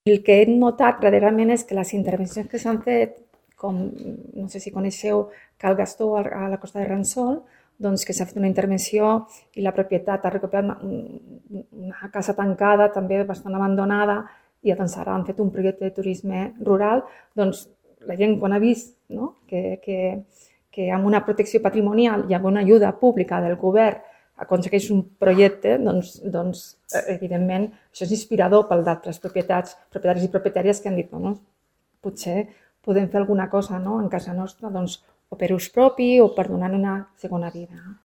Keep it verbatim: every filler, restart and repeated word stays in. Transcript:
El que he notat darrerament és que les intervencions que s'han fet, com no sé si coneixeu Cal Gastó a la Costa de Ransol, doncs que s'ha fet una intervenció i la propietat ha recuperat una, una casa tancada, també bastant abandonada, i doncs ara han fet un projecte de turisme rural. Doncs la gent quan ha vist, no? que, que, que amb una protecció patrimonial i amb una ajuda pública del govern aconsegueix un projecte, doncs, doncs evidentment això és inspirador per d'altres propietats, propietaris i propietàries que han dit, bueno, potser podem fer alguna cosa, no? En casa nostra, doncs, o per ús propi o per donar una segona vida.